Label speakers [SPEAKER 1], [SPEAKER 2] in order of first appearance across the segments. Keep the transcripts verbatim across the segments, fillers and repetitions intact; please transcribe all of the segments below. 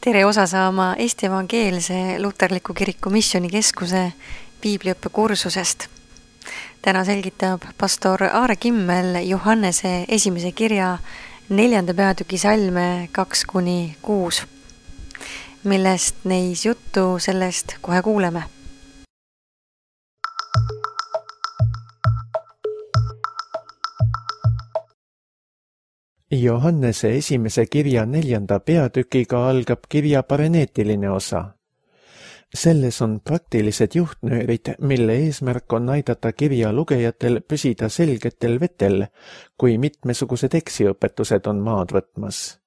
[SPEAKER 1] Tere osa saama Eesti Evangeelse Luterliku Kiriku Missioonikeskuse piibliõppe kursusest. Täna selgitab pastor Aare Kimmel Johannese esimese kirja neljanda peatüki salme kaks kuni kuus, millest neis juttu sellest kohe kuuleme.
[SPEAKER 2] Johannese esimese kirja neljanda peatükiga algab kirja pareneetiline osa. Selles on praktilised juhtnöörid, mille eesmärk on aidata kirja lugejatel püsida selgetel vetel, kui mitmesugused eksiõpetused on maad võtmas.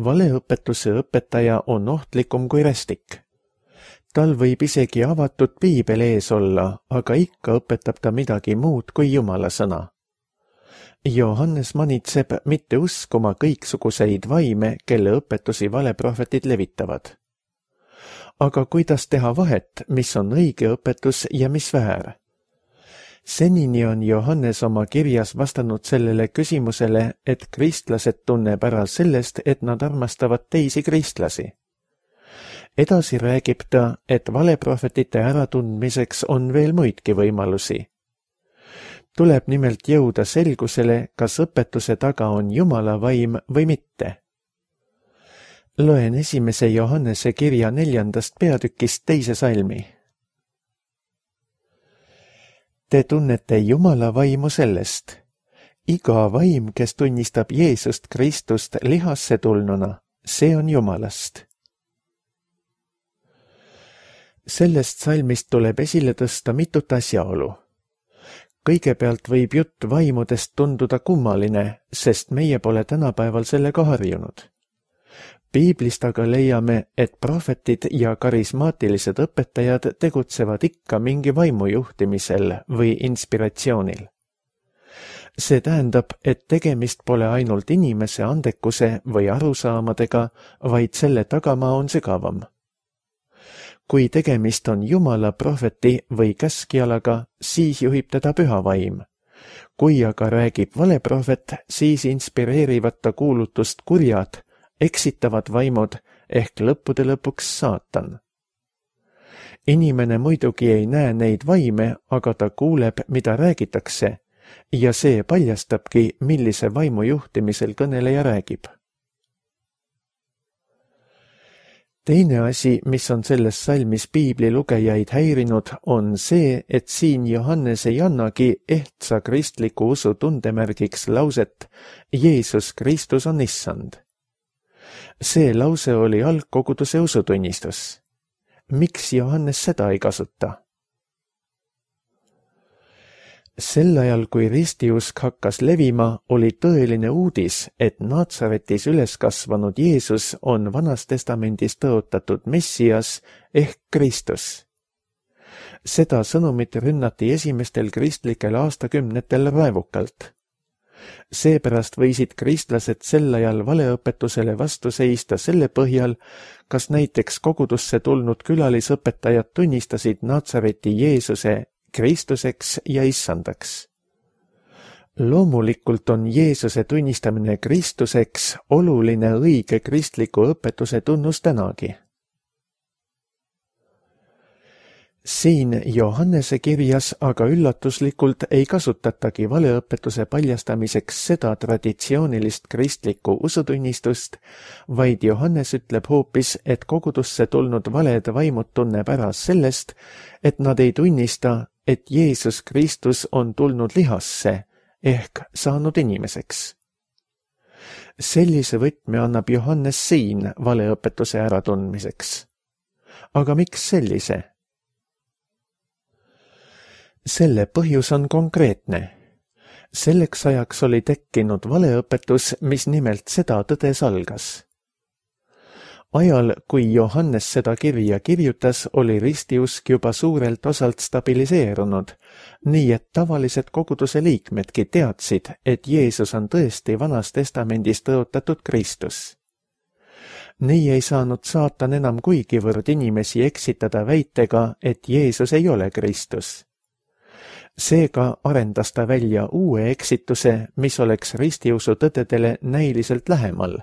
[SPEAKER 2] Valeõpetuse õpetaja on ohtlikum kui rästik. Tal võib isegi avatud piibel ees olla, aga ikka õpetab ta midagi muud kui Jumala sõna. Johannes manitseb mitte uskuma kõiksuguseid vaime, kelle õpetusi valeprohvetid levitavad. Aga kuidas teha vahet, mis on õige õpetus ja mis väär? Senini on Johannes oma kirjas vastanud sellele küsimusele, et kristlased tunneb ära sellest, et nad armastavad teisi kristlasi. Edasi räägib ta, et valeprohvetite äratundmiseks on veel muidki võimalusi. Tuleb nimelt jõuda selgusele, kas õpetuse taga on Jumala vaim või mitte. Loen esimese Johannese kirja neljandast peatükist teise salmi. Te tunnete Jumala vaimu sellest. Iga vaim, kes tunnistab Jeesust Kristust lihasse tulnuna, see on Jumalast. Sellest salmist tuleb esile tõsta mitut asjaolu. Kõigepealt võib jutt vaimudest tunduda kummaline, sest meie pole tänapäeval sellega harjunud. Piiblist aga leiame, et prohvetid ja karismaatilised õpetajad tegutsevad ikka mingi vaimu juhtimisel või inspiratsioonil. See tähendab, et tegemist pole ainult inimese andekuse või arusaamadega, vaid selle tagamaa on sügavam. Kui tegemist on Jumala prohveti või käskjalaga, siis juhib teda püha vaim. Kui aga räägib valeprohvet, siis inspireerivad ta kuulutust kurjad, eksitavad vaimud ehk lõppude lõpuks saatan. Inimene muidugi ei näe neid vaime, aga ta kuuleb, mida räägitakse, ja see paljastabki, millise vaimu juhtimisel kõneleja räägib. Teine asi, mis on selles salmis piibli lugejaid häirinud, on see, et siin Johannes ei annagi ehtsa kristliku usu tundemärgiks lauset Jeesus Kristus on issand. See lause oli algkoguduse usutunnistus. Miks Johannes seda ei kasuta? Sel ajal, kui ristiusk hakkas levima, oli tõeline uudis, et Naatsaretis üles kasvanud Jeesus on Vanas Testamendis tõotatud Messias ehk Kristus. Seda sõnumit rünnati esimestel kristlikel aastakümnetel raevukalt. Seepärast võisid kristlased sel ajal valeõpetusele vastu seista selle põhjal, kas näiteks kogudusse tulnud külalisõpetajad tunnistasid Naatsareti Jeesuse Kristuseks ja issandaks. Loomulikult on Jeesuse tunnistamine Kristuseks oluline õige kristliku õpetuse tunnus tänagi. Siin Johannese kirjas aga üllatuslikult ei kasutatagi valeõpetuse paljastamiseks seda traditsioonilist kristlikku usutunnistust, vaid Johannes ütleb hoopis, et kogudusse tulnud valed vaimud tunneb ära sellest, et nad ei tunnista, et Jeesus Kristus on tulnud lihasse ehk saanud inimeseks. Sellise võtme annab Johannes siin valeõpetuse äratundmiseks. Aga miks sellise? Selle põhjus on konkreetne. Selleks ajaks oli tekkinud valeõpetus, mis nimelt seda tõde salgas. Ajal, kui Johannes seda kirja kirjutas, oli ristiusk juba suurelt osalt stabiliseerunud, nii et tavalised koguduse liikmedki teadsid, et Jeesus on tõesti Vanas Testamendis tõotatud Kristus. Nii ei saanud saatan enam kuigivõrd inimesi eksitada väitega, et Jeesus ei ole Kristus. Seega arendas ta välja uue eksituse, mis oleks ristiusu tõdedele näiliselt lähemal,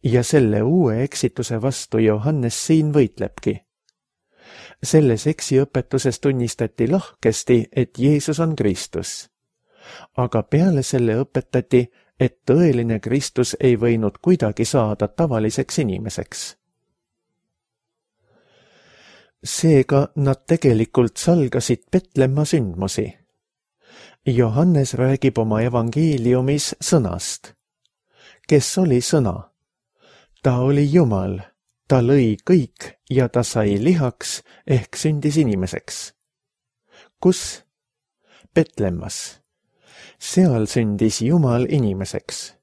[SPEAKER 2] ja selle uue eksituse vastu Johannes siin võitlebki. Selles eksiõpetuses tunnistati lahkesti, et Jeesus on Kristus. Aga peale selle õpetati, et tõeline Kristus ei võinud kuidagi saada tavaliseks inimeseks. Seega nad tegelikult salgasid Petlemma sündmusi. Johannes räägib oma evangeeliumis sõnast. Kes oli sõna? Ta oli Jumal, ta lõi kõik ja ta sai lihaks ehk sündis inimeseks. Kus? Petlemmas. Seal sündis Jumal inimeseks.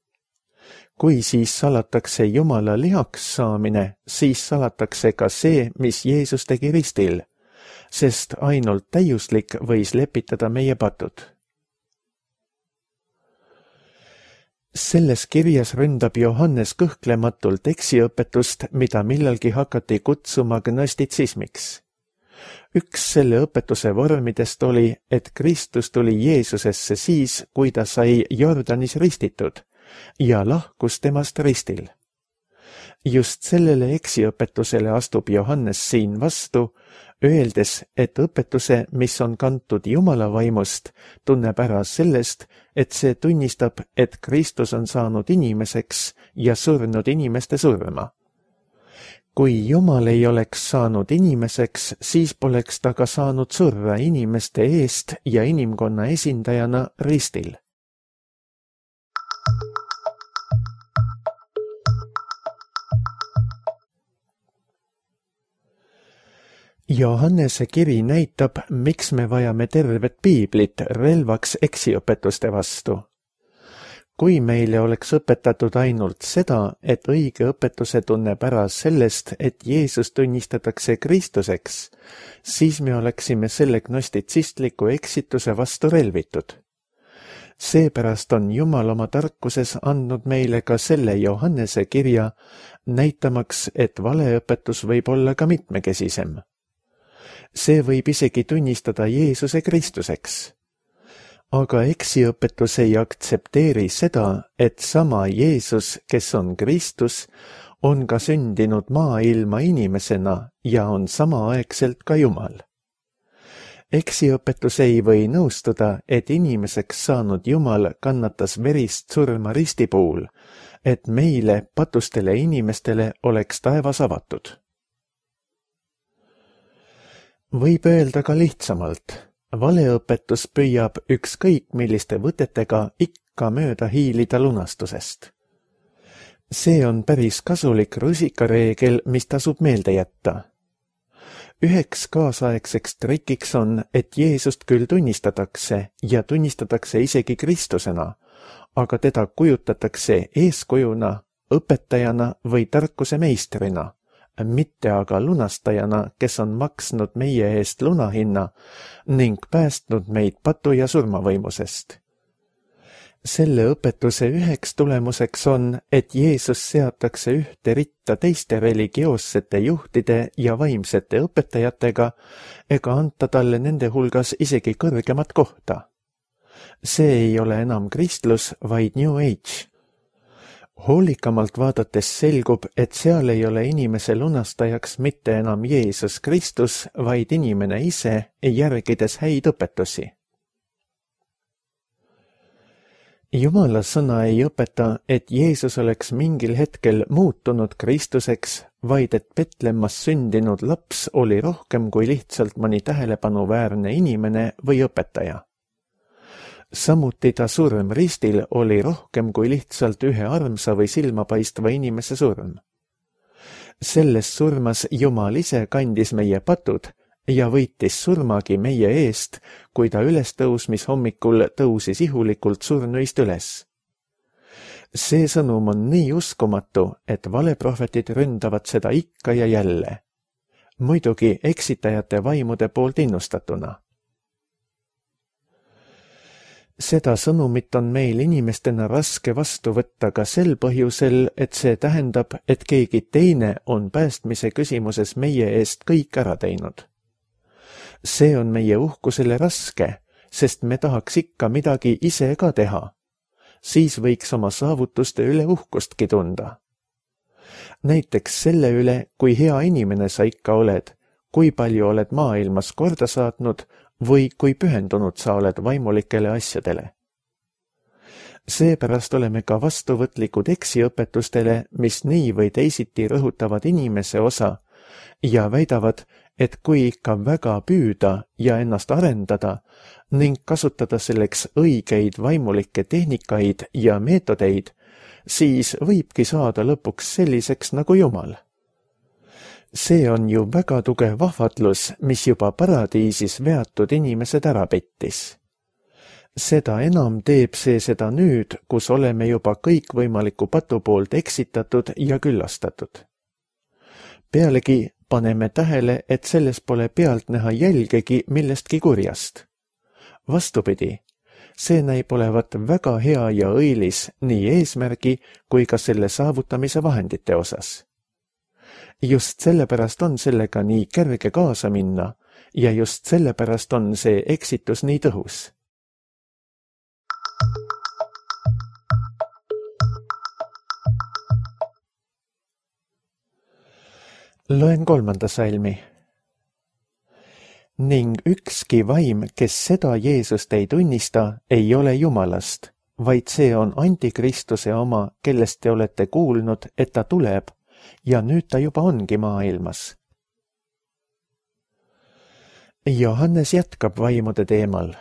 [SPEAKER 2] Kui siis salatakse Jumala lihaks saamine, siis salatakse ka see, mis Jeesus tegi ristil, sest ainult täiuslik võis lepitada meie patud. Selles kirjas ründab Johannes kõhklematult eksiõpetust, mida millalgi hakati kutsuma gnostitsismiks. Üks selle õpetuse vormidest oli, et Kristus tuli Jeesusesse siis, kui ta sai Jordanis ristitud ja lahkus temast ristil. Just sellele eksiõpetusele astub Johannes siin vastu, öeldes, et õpetuse, mis on kantud Jumala vaimust, tunneb ära sellest, et see tunnistab, et Kristus on saanud inimeseks ja surnud inimeste surma. Kui Jumal ei oleks saanud inimeseks, siis poleks ta ka saanud surra inimeste eest ja inimkonna esindajana ristil. Johannese kiri näitab, miks me vajame tervet piiblit relvaks eksiõpetuste vastu. Kui meile oleks õpetatud ainult seda, et õige õpetuse tunneb ära sellest, et Jeesus tunnistatakse Kristuseks, siis me oleksime selle gnostitsistliku eksituse vastu relvitud. Seepärast on Jumal oma tarkuses andnud meile ka selle Johannese kirja, näitamaks, et valeõpetus võib olla ka mitmekesisem. See võib isegi tunnistada Jeesuse Kristuseks. Aga eksiõpetus ei aktsepteeri seda, et sama Jeesus, kes on Kristus, on ka sündinud maailma inimesena ja on samaaegselt ka Jumal. Eksiõpetus ei või nõustuda, et inimeseks saanud Jumal kannatas verist surma ristipuul, et meile, patustele inimestele, oleks taevas avatud. Võib öelda ka lihtsamalt. Valeõpetus püüab ükskõik milliste võtetega ikka mööda hiilida lunastusest. See on päris kasulik rusikareegel, mis tasub meelde jätta. Üheks kaasaegseks trikiks on, et Jeesust küll tunnistatakse ja tunnistatakse isegi Kristusena, aga teda kujutatakse eeskujuna, õpetajana või tarkuse meistrina, mitte aga lunastajana, kes on maksnud meie eest lunahinna ning päästnud meid patu ja surmavõimusest. Selle õpetuse üheks tulemuseks on, et Jeesus seatakse ühte ritta teiste religioossete juhtide ja vaimsete õpetajatega ega anta talle nende hulgas isegi kõrgemat kohta. See ei ole enam kristlus, vaid New Age. Hoolikamalt vaadates selgub, et seal ei ole inimese lunastajaks mitte enam Jeesus Kristus, vaid inimene ise, järgides häid õpetusi. Jumala sõna ei õpeta, et Jeesus oleks mingil hetkel muutunud Kristuseks, vaid et Petlemmas sündinud laps oli rohkem kui lihtsalt mõni tähelepanuväärne inimene või õpetaja. Samuti ta surm ristil oli rohkem kui lihtsalt ühe armsa või silmapaistva inimese surm. Selles surmas Jumal ise kandis meie patud ja võitis surmagi meie eest, kui ta ülestõusmis hommikul tõusis ihulikult surnuist üles. See sõnum on nii uskumatu, et valeprohvetid ründavad seda ikka ja jälle. Muidugi eksitajate vaimude poolt innustatuna. Seda sõnumit on meil inimestena raske vastu võtta ka sel põhjusel, et see tähendab, et keegi teine on päästmise küsimuses meie eest kõik ära teinud. See on meie uhkusele raske, sest me tahaks ikka midagi ise ka teha. Siis võiks oma saavutuste üle uhkustki tunda. näiteks selle üle, kui hea inimene sa ikka oled, kui palju oled maailmas korda saatnud või kui pühendunud sa oled vaimulikele asjadele. Seepärast oleme ka vastuvõtlikud eksiõpetustele, mis nii või teisiti rõhutavad inimese osa ja väidavad, et kui ikka väga püüda ja ennast arendada ning kasutada selleks õigeid vaimulikke tehnikaid ja meetodeid, siis võibki saada lõpuks selliseks nagu Jumal. See on ju väga tugev vahvatlus, mis juba paradiisis veatud inimesed ära pettis. Seda enam teeb see seda nüüd, kus oleme juba kõikvõimaliku patu poolt eksitatud ja küllastatud. Pealegi paneme tähele, et selles pole pealt näha jälgegi millestki kurjast. Vastupidi, see näib olevat väga hea ja õilis nii eesmärgi kui ka selle saavutamise vahendite osas. Just sellepärast on sellega nii kerge kaasa minna ja just sellepärast on see eksitus nii tõhus. Loen kolmanda salmi. Ning ükski vaim, kes seda Jeesust ei tunnista, ei ole Jumalast, vaid see on Antikristuse oma, kellest te olete kuulnud, et ta tuleb, ja nüüd ta juba ongi maailmas. Johannes jätkab vaimude teemal.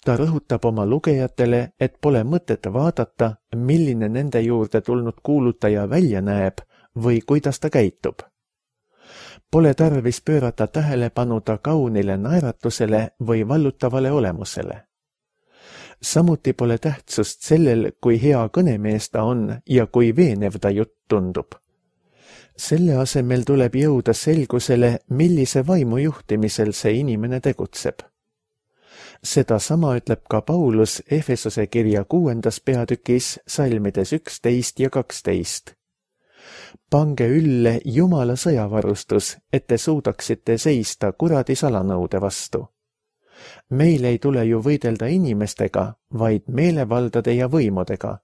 [SPEAKER 2] Ta rõhutab oma lugejatele, et pole mõtet vaadata, milline nende juurde tulnud kuulutaja välja näeb või kuidas ta käitub. Pole tarvis pöörata tähelepanu ta kaunile naeratusele või vallutavale olemusele. Samuti pole tähtsust sellel, kui hea kõnemees ta on ja kui veenev ta jutt tundub. Selle asemel tuleb jõuda selgusele, millise vaimu juhtimisel see inimene tegutseb. Seda sama ütleb ka Paulus Efesose kirja kuuendas peatükis salmides üksteist ja kaksteist. Pange ülle Jumala sõjavarustus, et te suudaksite seista kuradi salanõude vastu. Meil ei tule ju võidelda inimestega, vaid meelevaldade ja võimudega,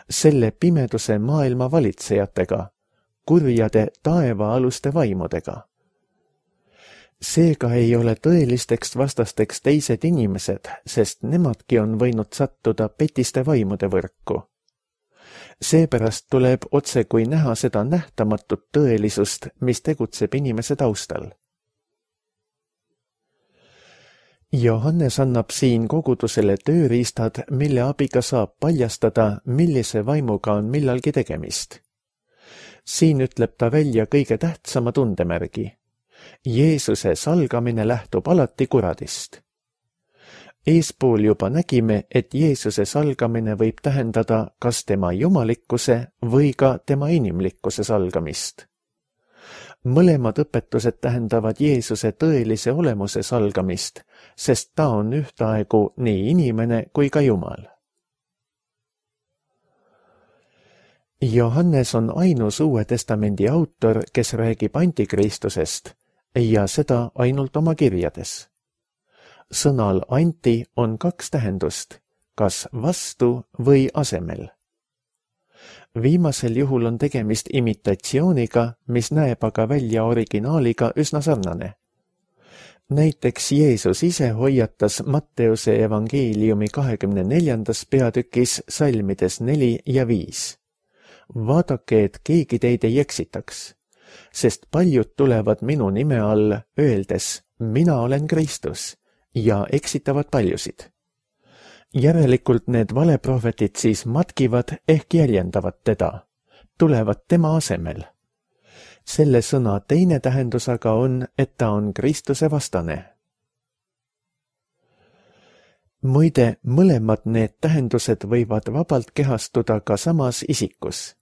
[SPEAKER 2] selle pimeduse maailma valitsejatega, kurjade taevaaluste vaimudega. Seega ei ole tõelisteks vastasteks teised inimesed, sest nemadki on võinud sattuda petiste vaimude võrku. Seepärast tuleb otse kui näha seda nähtamatut tõelisust, mis tegutseb inimese taustal. Johannes annab siin kogudusele tööriistad, mille abiga saab paljastada, millise vaimuga on millalgi tegemist. Siin ütleb ta välja kõige tähtsama tundemärgi. Jeesuse salgamine lähtub alati kuradist. Eespool juba nägime, et Jeesuse salgamine võib tähendada kas tema jumalikkuse või ka tema inimlikkuse salgamist. Mõlemad õpetused tähendavad Jeesuse tõelise olemuse salgamist, sest ta on ühtaegu nii inimene kui ka Jumal. Johannes on ainus Uue Testamendi autor, kes räägib antikristusest ja seda ainult oma kirjades. Sõnal anti on kaks tähendust, kas vastu või asemel. Viimasel juhul on tegemist imitatsiooniga, mis näeb aga välja originaaliga üsna sarnane. Näiteks Jeesus ise hoiatas Matteuse evangeeliumi kahekümne neljandas peatükis salmides neli ja viis. Vaadake, et keegi teid ei eksitaks, sest paljud tulevad minu nime all, öeldes, mina olen Kristus, ja eksitavad paljusid. Järelikult need valeprohvetid siis matkivad ehk jäljendavad teda, tulevad tema asemel. Selle sõna teine tähendus aga on, et ta on Kristuse vastane. Muide, mõlemad need tähendused võivad vabalt kehastuda ka samas isikus.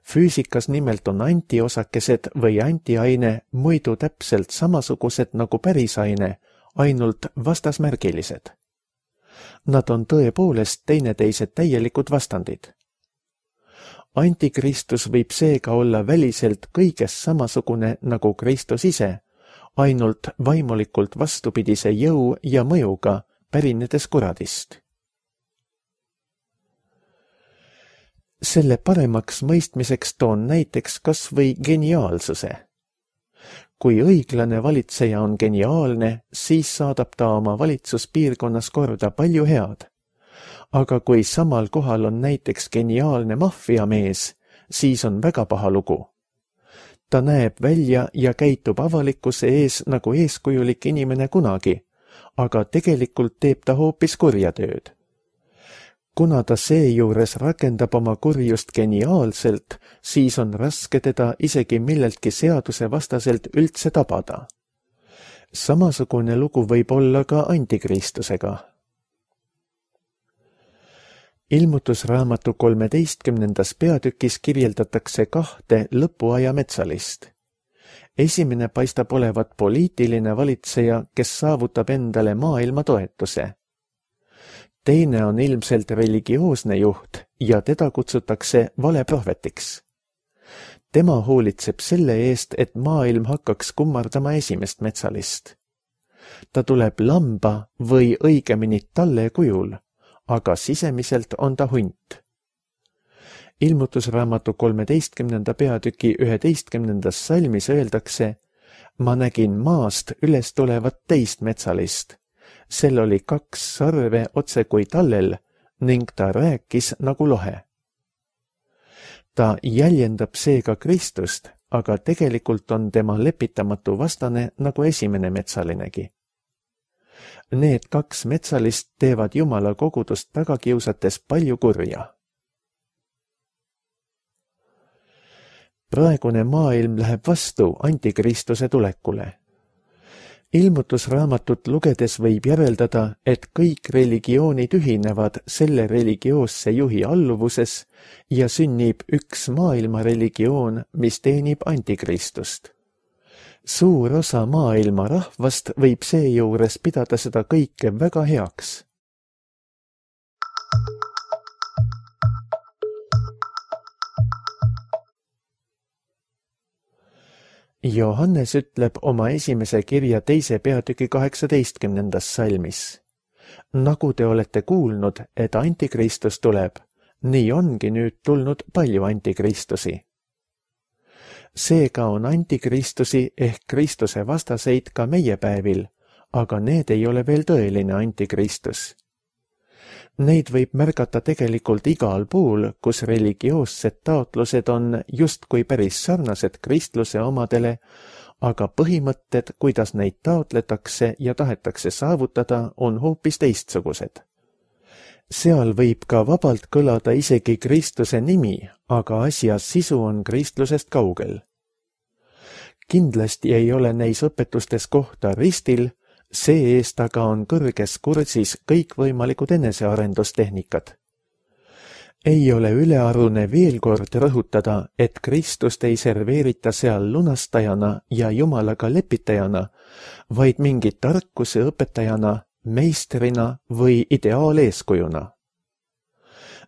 [SPEAKER 2] Füüsikas nimelt on antiosakesed või antiaine muidu täpselt samasugused nagu pärisaine, ainult vastasmärgilised. Nad on tõepoolest teineteised täielikud vastandid. Antikristus võib seega olla väliselt kõigest samasugune nagu Kristus ise, ainult vaimulikult vastupidise jõu ja mõjuga, pärinedes kuradist. Selle paremaks mõistmiseks toon näiteks kas või geniaalsuse. Kui õiglane valitseja on geniaalne, siis saadab ta oma valitsuspiirkonnas korda palju head. Aga kui samal kohal on näiteks geniaalne maffiamees, siis on väga paha lugu. Ta näeb välja ja käitub avalikkuse ees nagu eeskujulik inimene kunagi, aga tegelikult teeb ta hoopis kurja tööd. Kuna ta seejuures rakendab oma kurjust geniaalselt, siis on raske teda isegi milleltki seaduse vastaselt üldse tabada. Samasugune lugu võib olla ka antikristusega. Ilmutusraamatu kolmeteistkümnendas peatükis kirjeldatakse kahte lõpuaja metsalist. Esimene paistab olevat poliitiline valitseja, kes saavutab endale maailma toetuse. Teine on ilmselt religioosne juht ja teda kutsutakse valeprohvetiks. Tema hoolitseb selle eest, et maailm hakkaks kummardama esimest metsalist. Ta tuleb lamba või õigemini talle kujul, aga sisemiselt on ta hunt. Ilmutusraamatu kolmeteistkümnenda peatüki üheteistkümnendas salmis öeldakse: ma nägin maast üles tulevat teist metsalist. Sel oli kaks sarve otse kui tallel ning ta rääkis nagu lohe. Ta jäljendab seega Kristust, aga tegelikult on tema lepitamatu vastane nagu esimene metsalinegi. Need kaks metsalist teevad Jumala kogudust taga kiusates palju kurja. Praegune maailm läheb vastu antikristuse tulekule. Ilmutusraamatut lugedes võib järeldada, et kõik religioonid ühinevad selle religioosse juhi alluvuses ja sünnib üks maailma religioon, mis teenib antikristust. Suur osa maailma rahvast võib seejuures pidada seda kõike väga heaks. Johannes ütleb oma esimese kirja teise peatüki kaheksateistkümnendas salmis: nagu te olete kuulnud, et antikristus tuleb, nii ongi nüüd tulnud palju antikristusi. Seega on antikristusi ehk Kristuse vastaseid ka meie päevil, aga need ei ole veel tõeline antikristus. Neid võib märgata tegelikult igal pool, kus religioossed taotlused on justkui päris sarnased kristluse omadele, aga põhimõtted, kuidas neid taotletakse ja tahetakse saavutada, on hoopis teistsugused. Seal võib ka vabalt kõlada isegi Kristuse nimi, aga asja sisu on kristlusest kaugel. Kindlasti ei ole neis õpetustes kohta ristil, see eest aga on kõrges kursis kõikvõimalikud enesearendustehnikad. Ei ole ülearune veel kord rõhutada, et Kristust ei serveerita seal lunastajana ja Jumalaga lepitajana, vaid mingi tarkuse õpetajana, meistrina või ideaaleeskujuna.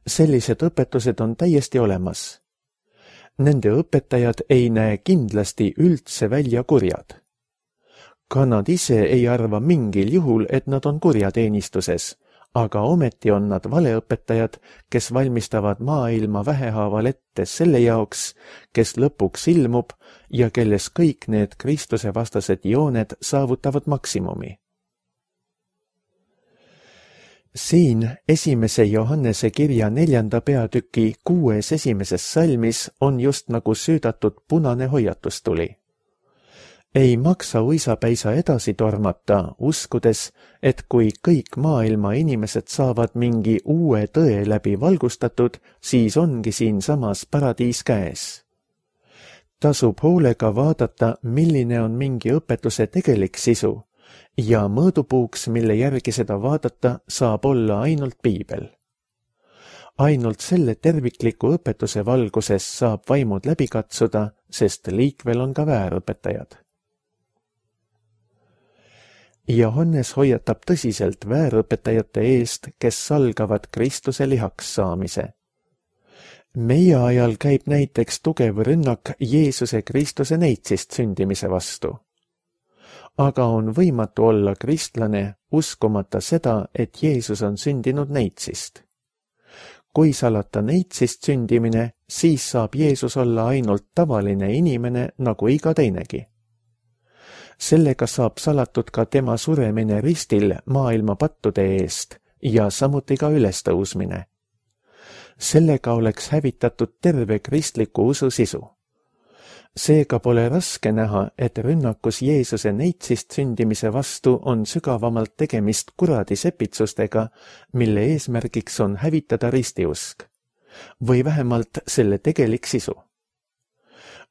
[SPEAKER 2] Sellised õpetused on täiesti olemas. Nende õpetajad ei näe kindlasti üldse välja kurjad. Ka nad ise ei arva mingil juhul, et nad on kurjateenistuses, aga ometi on nad valeõpetajad, kes valmistavad maailma vähehaaval ette selle jaoks, kes lõpuks ilmub ja kelles kõik need Kristuse vastased jooned saavutavad maksimumi. Siin esimese Johannese kirja neljanda peatüki kuues esimeses salmis on just nagu süüdatud punane hoiatustuli. Ei maksa uisapäisa edasi tormata, uskudes, et kui kõik maailma inimesed saavad mingi uue tõe läbi valgustatud, siis ongi siinsamas paradiis käes. Tasub hoolega vaadata, milline on mingi õpetuse tegelik sisu, ja mõõdupuuks, mille järgi seda vaadata, saab olla ainult piibel. Ainult selle tervikliku õpetuse valguses saab vaimud läbi katsuda, sest liikvel on ka väärõpetajad. Johannes hoiatab tõsiselt väärõpetajate eest, kes salgavad Kristuse lihaks saamise. Meie ajal käib näiteks tugev rünnak Jeesuse Kristuse neitsist sündimise vastu. Aga on võimatu olla kristlane, uskumata seda, et Jeesus on sündinud neitsist. kui salata neitsist sündimine, siis saab Jeesus olla ainult tavaline inimene nagu iga teinegi. Sellega saab salatud ka tema suremine ristil maailma pattude eest ja samuti ka ülestõusmine. Sellega oleks hävitatud terve kristliku usu sisu. Seega pole raske näha, et rünnakus Jeesuse neitsist sündimise vastu on sügavamalt tegemist kuradi sepitsustega, mille eesmärgiks on hävitada ristiusk, või vähemalt selle tegelik sisu.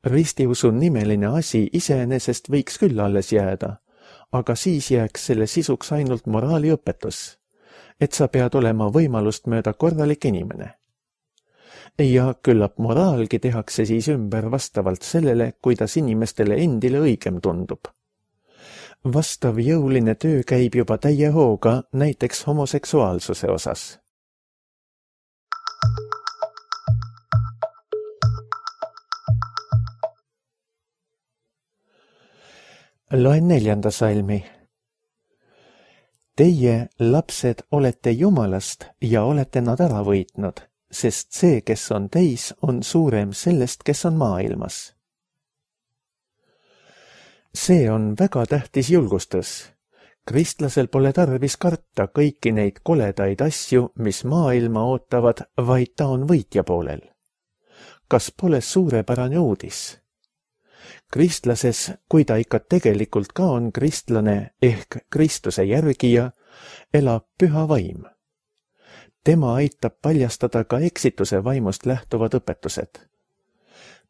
[SPEAKER 2] Ristiusu nimeline asi iseenesest võiks küll alles jääda, aga siis jääks selle sisuks ainult moraaliõpetus, et sa pead olema võimalust mööda korralik inimene. Ja küllap moraalgi tehakse siis ümber vastavalt sellele, kuidas inimestele endile õigem tundub. Vastav jõuline töö käib juba täie hooga näiteks homoseksuaalsuse osas. Loen neljanda salmi. Teie, lapsed, olete Jumalast ja olete nad ära võitnud, sest see, kes on teis, on suurem sellest, kes on maailmas. See on väga tähtis julgustus. Kristlasel pole tarvis karta kõiki neid koledaid asju, mis maailma ootavad, vaid ta on võitja poolel. Kas pole suurepärane uudis? Kristlases, kui ta ikka tegelikult ka on kristlane ehk Kristuse järgija, elab püha vaim. Tema aitab paljastada ka eksituse vaimust lähtuvad õpetused.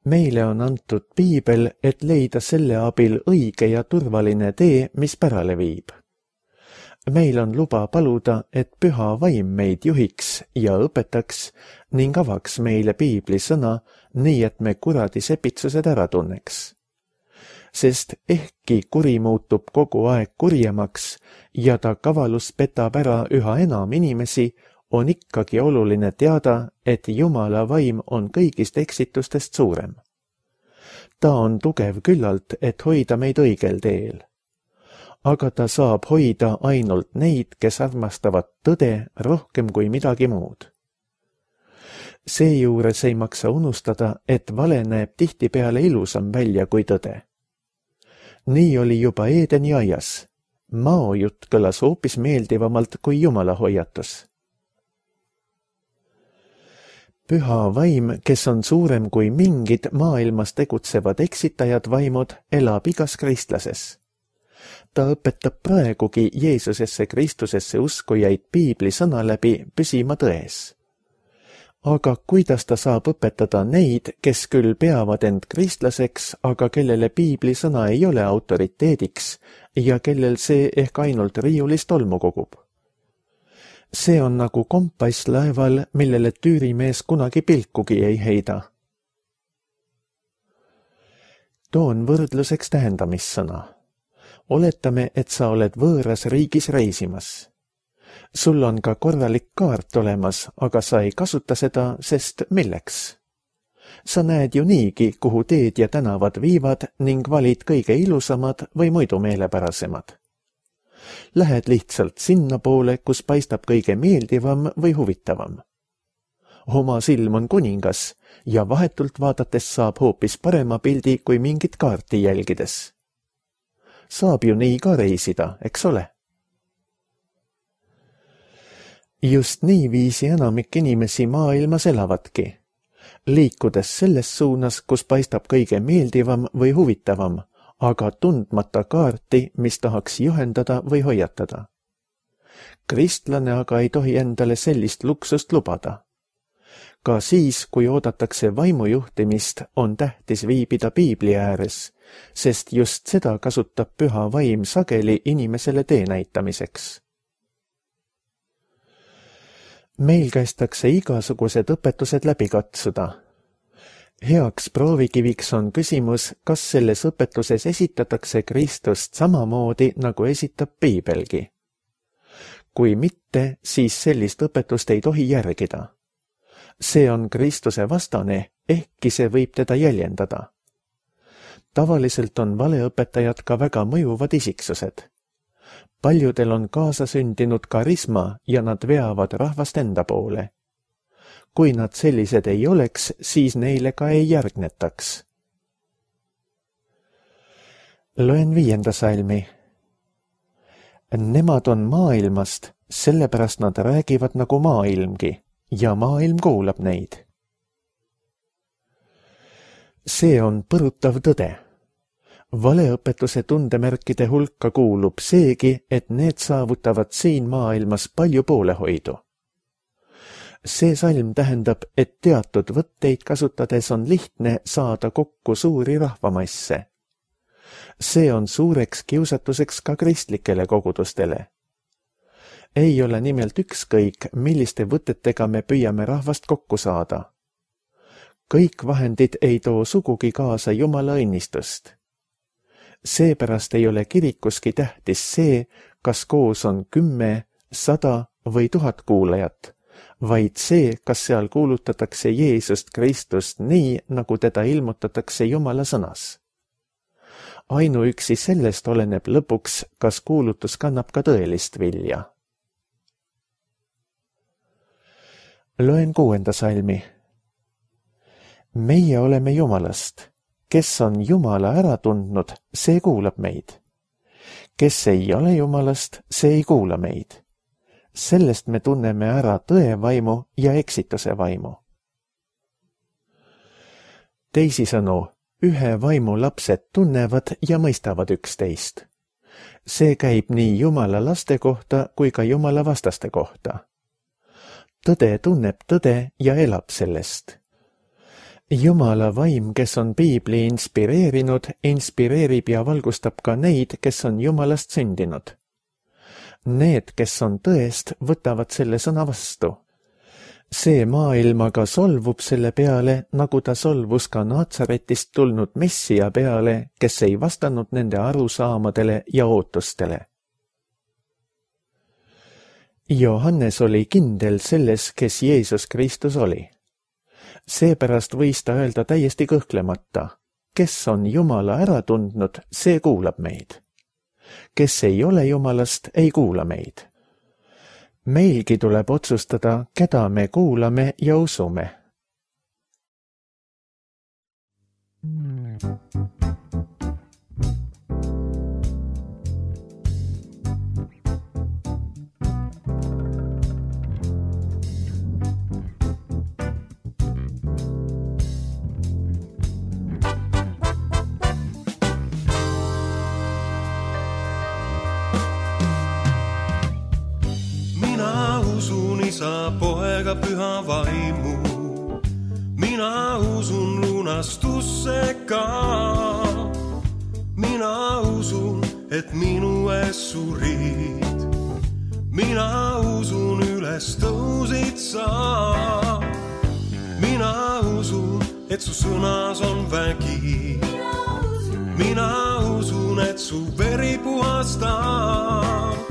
[SPEAKER 2] Meile on antud piibel, et leida selle abil õige ja turvaline tee, mis pärale viib. Meil on luba paluda, et püha vaim meid juhiks ja õpetaks ning avaks meile piibli sõna, nii et me kuradi sepitsused ära tunneks. Sest ehkki kuri muutub kogu aeg kurjemaks ja ta kavalus petab ära üha enam inimesi, on ikkagi oluline teada, et Jumala vaim on kõigist eksitustest suurem. Ta on tugev küllalt, et hoida meid õigel teel. Aga ta saab hoida ainult neid, kes armastavad tõde rohkem kui midagi muud. Seejuures ei maksa unustada, et vale näeb tihtipeale ilusam välja kui tõde. Nii oli juba Eedeni aias. Mao jutt kõlas hoopis meeldivamalt kui Jumala hoiatus. Püha vaim, kes on suurem kui mingid maailmas tegutsevad eksitajad vaimud, elab igas kristlases. Ta õpetab praegugi Jeesusesse Kristusesse uskujaid piibli sõna läbi püsima tões. Aga kuidas ta saab õpetada neid, kes küll peavad end kristlaseks, aga kellele piibli sõna ei ole autoriteediks ja kellel see ehk ainult riiulist tolmu kogub? See on nagu kompass laeval, millele tüürimees kunagi pilkugi ei heida. Toon võrdluseks tähendamissõna. Oletame, et sa oled võõras riigis reisimas. Sul on ka korralik kaart olemas, aga sa ei kasuta seda, sest milleks? Sa näed ju niigi, kuhu teed ja tänavad viivad ning valid kõige ilusamad või muidu meelepärasemad. Lähed lihtsalt sinna poole, kus paistab kõige meeldivam või huvitavam. Oma silm on kuningas ja vahetult vaadates saab hoopis parema pildi kui mingit kaarti jälgides. Saab ju nii ka reisida, eks ole? Just nii viisi enamik inimesi maailmas elavadki, liikudes selles suunas, kus paistab kõige meeldivam või huvitavam, aga tundmata kaarti, mis tahaks juhendada või hoiatada. Kristlane aga ei tohi endale sellist luksust lubada. Ka siis, kui oodatakse vaimujuhtimist, on tähtis viibida piibli ääres, sest just seda kasutab püha vaim sageli inimesele tee näitamiseks. Meil kästakse igasugused õpetused läbi katsuda. Heaks proovikiviks on küsimus, kas selles õpetuses esitatakse Kristust samamoodi, nagu esitab piibelgi. Kui mitte, siis sellist õpetust ei tohi järgida. See on Kristuse vastane, ehkki see võib teda jäljendada. Tavaliselt on valeõpetajad ka väga mõjuvad isiksused. Paljudel on kaasasündinud karisma ja nad veavad rahvast enda poole. kui nad sellised ei oleks, siis neile ka ei järgnetaks. Loen viienda salmi. Nemad on maailmast, sellepärast nad räägivad nagu maailmgi ja maailm kuulab neid. See on põrutav tõde. Valeõpetuse tundemärkide hulka kuulub seegi, et need saavutavad siin maailmas palju poolehoidu. See salm tähendab, et teatud võtteid kasutades on lihtne saada kokku suuri rahvamasse. See on suureks kiusatuseks ka kristlikele kogudustele. Ei ole nimelt ükskõik, milliste võtetega me püüame rahvast kokku saada. Kõik vahendid ei too sugugi kaasa Jumala õnnistust. Seepärast ei ole kirikuski tähtis see, kas koos on kümme, sada või tuhat kuulajat, vaid see, kas seal kuulutatakse Jeesust Kristust nii, nagu teda ilmutatakse Jumala sõnas. Ainuüksi sellest oleneb lõpuks, kas kuulutus kannab ka tõelist vilja. Loen kuuenda salmi. Meie oleme Jumalast. Kes on Jumala ära tundnud, see kuulab meid. Kes ei ole Jumalast, see ei kuula meid. Sellest me tunneme ära tõe vaimu ja eksituse vaimu. Teisisõnu, ühe vaimu lapsed tunnevad ja mõistavad üksteist. See käib nii Jumala laste kohta kui ka Jumala vastaste kohta. Tõde tunneb tõde ja elab sellest. Jumala vaim, kes on Piibli inspireerinud, inspireerib ja valgustab ka neid, kes on Jumalast sündinud. Need, kes on tõest, võtavad selle sõna vastu. See maailm aga solvub selle peale, nagu ta solvus ka Naatsaretist tulnud Messia peale, kes ei vastanud nende arusaamadele ja ootustele. Johannes oli kindel selles, kes Jeesus Kristus oli. Seepärast võis ta öelda täiesti kõhklemata, kes on Jumala ära tundnud, see kuulab meid. Kes ei ole Jumalast, ei kuula meid. Meilgi tuleb otsustada, keda me kuulame ja usume.
[SPEAKER 3] Isa, poega, püha vaimu. Mina usun lunastusse ka. Mina usun, et minu ees surid. Mina usun, üles tõusid sa. Mina usun, et su sõnas on vägi. Mina usun, et su veri puhastab.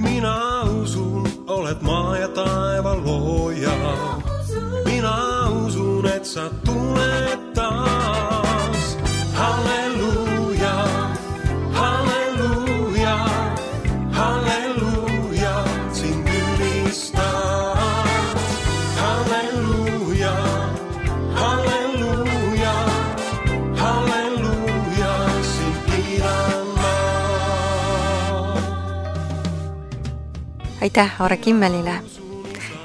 [SPEAKER 3] Mina usun, oled maa ja taeva looja. Mina usun, et sa tuled taas. Halleluuja, halleluuja, halleluuja, sind ülistad. Halleluuja, halleluuja, halleluuja, sind kiidan ma.
[SPEAKER 1] Aitäh Aare Kimmelile.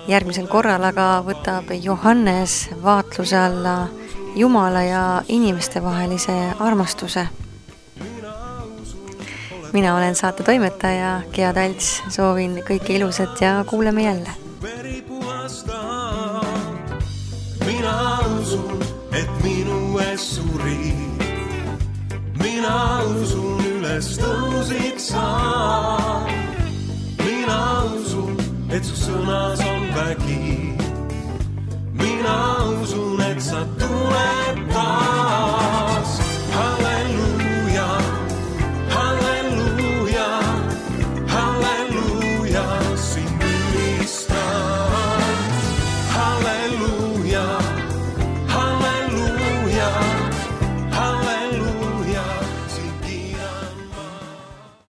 [SPEAKER 1] Järgmisel korral aga võtab Johannes vaatluse alla Jumala ja inimeste vahelise armastuse. Mina olen saate toimetaja Gea Talts, soovin kõike ilusat ja kuuleme jälle.
[SPEAKER 3] Mina usun, et minu ees surid. Mina usun, üles tõusid sa. Mina usun, et su sõnas on vägi. Mina usun, et sa tuled taas.